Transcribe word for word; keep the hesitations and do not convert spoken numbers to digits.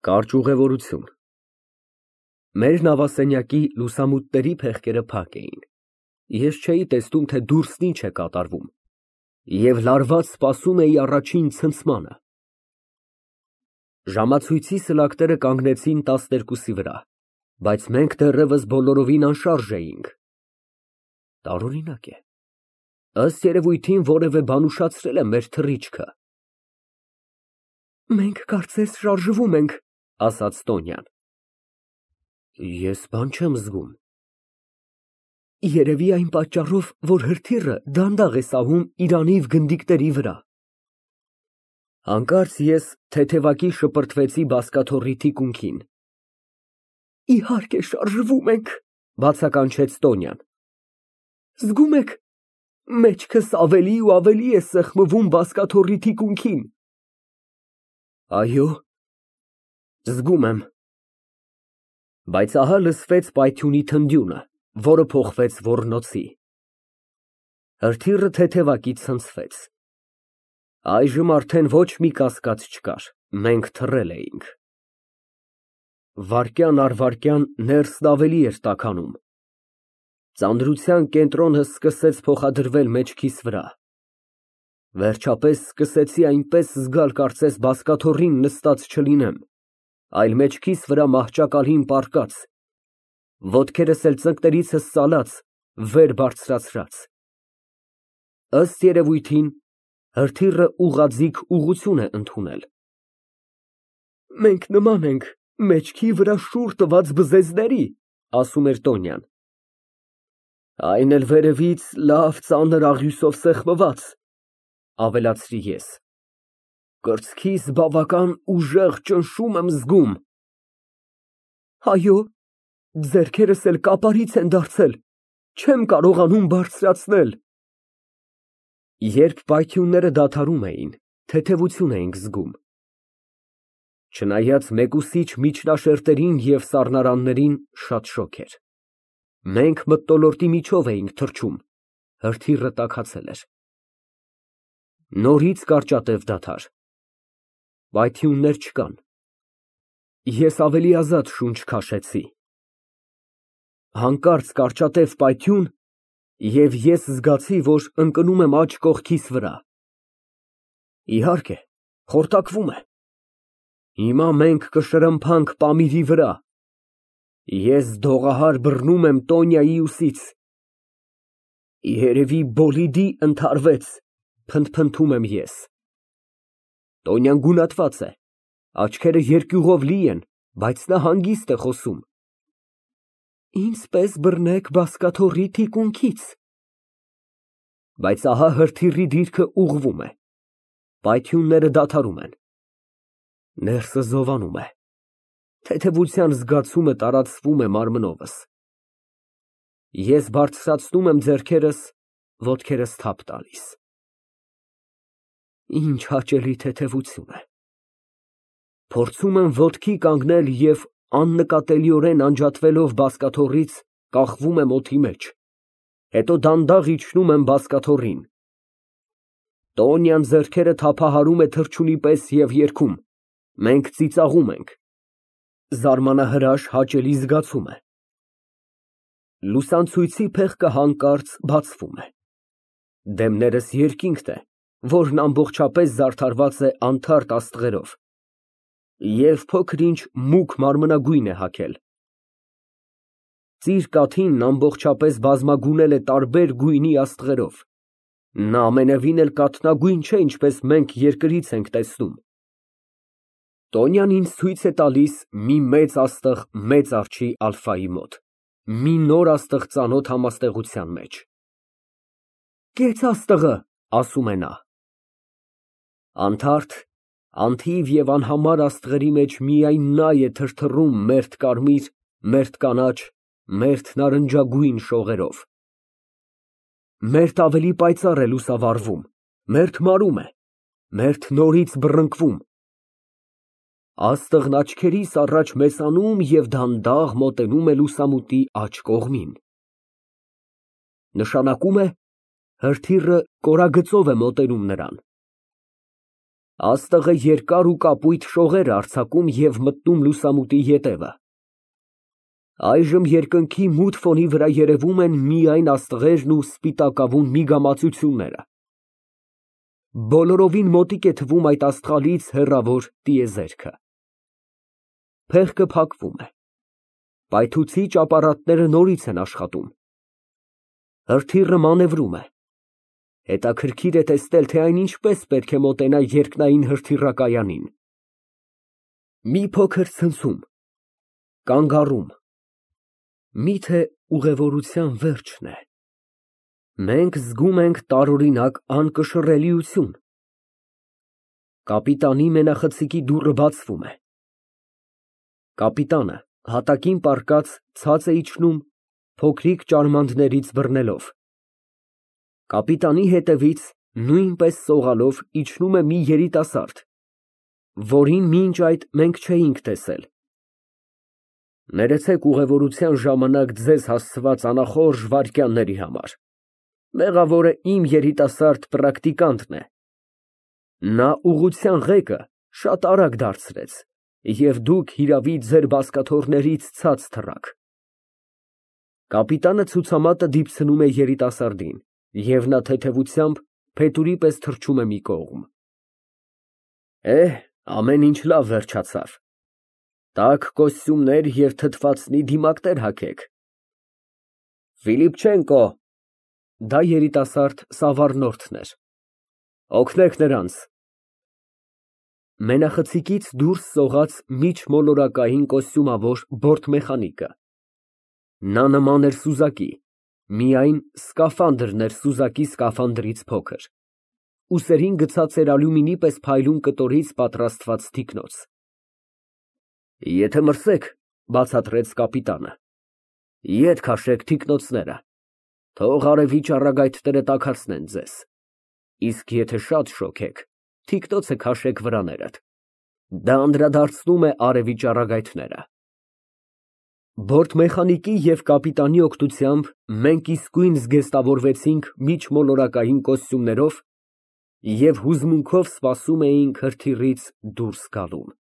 Կարճ ուղևորություն։ Մեր նավասենյակի լուսամուտների փեղկերը փակ էին, ես չէի տեսնում, թե դուրսն ինչ է կատարվում և լարված սպասում էի առաջին ցնցմանը։ Ժամացույցի սլակները կանգնեցին տասներկուսի վրա, բայց մենք դեռևս բոլորովին անշարժ էինք։ Տարօրինակ է, ըստ երևույթին որևէ բան ուշացրել է մեր թռիչքը։ Մենք կարծես շարժվում ենք, ասաց Տոնյան։ Ես բան չեմ զգում։ Երևի այն պատճառով, որ հրթիռը դանդաղ է սահում իր անիվ գնդիկների վրա։ Հանկարծ ես թեթևակի շպրտվեցի բազկաթոռի թիկունքին։ Իհարկե շարժվում ենք, բացականչեց Տոնյան։ Զգում եք, մեջքս ավելի ու ավելի է սեղմվում բազկաթոռի թիկունքին։ Այո, զգում եմ։ Բայց ահա լսվեց պայթյունի թնդյունը, որը փոխվեց ոռնոցի։ Հրթիռը թեթևակից ցնցվեց։ Այժմ արդեն ոչ մի կասկած չկար, մենք թռել էինք։ Վայրկյան առ վայրկյան ներսն ավելի էր տաքանում։ Ծանրության կենտրոնը սկսեց փոխադրվել մեջքիս վրա։ Վերջապես սկսեցի այնպես զգալ, կարծես բազկաթոռին նստած չլինեմ, այլ մեջքիս վրա մահճակալին պառկած, ոտքերս էլ ծնկներիցս ծալած, վեր բարձրացրած։ Ըստ երևույթին, հրթիռը ուղղաձիգ ուղղություն է ընդունել։ Մենք նման ենք մեջքի վրա շուռ տված բզեզների, ասում էր Տոնյան։ Այն էլ վերևից լավ ծանր աղյուսով սեղմված, ավելացրի ես։ Կրծքիս բավական ուժեղ ճնշում եմ զգում։ Այո, ձեռքերս էլ կապարից են դարձել, չեմ կարողանում բարձրացնել։ Երբ պայթյունները դադարում էին, թեթևություն էինք զգում։ Չնայած մեկուսիչ միջնաշերտերին և սառնարաններին, շատ շոգ էր։ Մենք մթնոլորտի միջով էինք թռչում, հրթիռը տաքացել էր։ Նորից կարճատև դադար։ Պայթյուններ չկան։ Ես ավելի ազատ շունչ քաշեցի։ Հանկարծ կարճատև պայթյուն, և ես զգացի, որ ընկնում եմ աջ կողքիս վրա։ Իհարկե, խորտակվում է։ Հիմա մենք կշրմփանք Պամիրի վրա։ Ես դողահար բռնում եմ Տոնյայի ուսից։ Երևի բոլիդի ընդհարվեց, փնթփնթում եմ ես։ Տոնյան գունատված է, աչքերը երկյուղով լի են, բայց նա հանգիստ է խոսում։ Ինձ պես բռնեք բազկաթոռի թիկունքից։ Բայց ահա հրթիռի դիրքը ուղղվում է։ Պայթյունները դադարում են։ Ներսը զովանում է։ Թեթևության զգացումը տարածվում է մարմնովս։ Ես բարձրացնում եմ ձեռքերս, ոտքերս թափ տալիս։ Ինչ հաճելի թեթևություն է։ Փորձում եմ ոտքի կանգնել և աննկատելիորեն անջատվելով բազկաթոռից, կախվում եմ օդի մեջ, հետո դանդաղ իջնում եմ բազկաթոռին։ Տոնյան ձեռքերը թափահարում է թռչունի պես և երգում, մենք ծիծաղում ենք։ Զարմանահրաշ հաճելի զգացում է։ Լուսանցույցի փեղկը հանկարծ բացվում է։ Դեմներս երկինքն է, որն ամբողջապես զարդարված է անթարթ աստղերով, և փոքր֊ինչ մուգ մարմնագույն է հագել։ Ծիր կաթինն ամբողջապես բազմագունել է տարբեր գույնի աստղերով, նա ամենևին էլ կաթնագույն չէ, ինչպես մենք երկրից ենք տեսնում։ Տոնյան ինձ ցույց է տալիս մի մեծ աստղ մեծ արջի ալֆայի մոտ, մի նոր աստղ ծանոթ համաստեղության մեջ։ Կեց աստղը, ասում է նա։ Անթարթ, անթիվ և անհամար աստղերի մեջ միայն նա է թրթռում մերթ կարմիր, մերթ կանաչ, մերթ նարնջագույն շողերով։ Մերթ ավելի պայծառ է լուսավառվում, մերթ մարում է, մերթ նորից բռնկվում։ Աստղն աչքերիս առաջ մեծանում և դանդաղ մոտենում է լուսամուտի աջ կողմին։ Նշանակում է հրթիռը կորագծով է մոտենում նրան։ Աստղը երկար ու կապույտ շողեր արձակում և մտնում լուսամուտի ետևը։ Այժմ երկնքի մութ ֆոնի վրա երևում են միայն աստղերն ու սպիտակավուն միգամածությունները։ Բոլորովին մոտիկ է թվում այդ աստղալից հեռավոր տիեզերքը։ Փեղկը փակվում է։ Պայթուցիչ ապարատները նորից են աշխատում։ Հրթիռը մանևրում է։ Հետաքրքիր է տեսնել, թե այն ինչպես պետք է մոտենա երկնային հրթիռակայանին։ Մի փոքր ցնցում, կանգ առում։ Միթե ուղևորության վերջն է։ Մենք զգում ենք տարօրինակ անկշռելիություն։ Կապիտանի մենախցիկի դուռը բացվում է։ Կապիտանը հատակին պառկած ցած է իջնում, փոքրիկ ճարմանդներից բռնելով։ Կապիտանի հետևից նույնպես սողալով իջնում է մի երիտասարդ, որին մինչ այդ մենք չէինք տեսել։ Ներեցեք ուղևորության ժամանակ ձեզ հասցված անախորժ վայրկյանների համար։ Մեղավորը իմ երիտասարդ պրակտիկանտն է։ Նա ուղղության ղեկը շատ արագ դարձրեց, և դուք հիրավի ձեր բազկաթոռներից ցած թռաք։ Կապիտանը ցուցամատը դիպցնում է երիտասարդին, և նա թեթևությամբ փետուրի պես թռչում է մի կողմ։ Էհ, ամեն ինչ լավ վերջացավ։ Տաք կոստյումներ և թթվածնի դիմակներ հագեք։ Ֆիլիպչենկո, դա երիտասարդ Սավառնորդն էր, օգնեք նրանց։ Մենախցիկից դուրս սողաց միջմոլորակային կոստյումավոր բորտմեխանիկը։ Նա նման էր սուզակի, միայն սկաֆանդրն էր սուզակի սկաֆանդրից փոքր։ Ուսերին գցած էր ալյումինի պես փայլուն կտորից պատրաստված թիկնոց։ Եթե մրսեք, բացատրեց կապիտանը, ետ քաշեք թիկնոցները, թող արևի ճառագայթները տաքացնեն ձեզ, իսկ եթե շատ շոգեք, թիկնոցը քաշեք վրաներդ, դա անդրադարձնում է արևի ճառագայթները։ Բորտմեխանիկի և կապիտանի օգնությամբ մենք իսկույն զգեստավորվեցինք միջմոլորակային կոստյումներով և հուզմունքով սպասում էինք հրթիռից դուրս գալուն։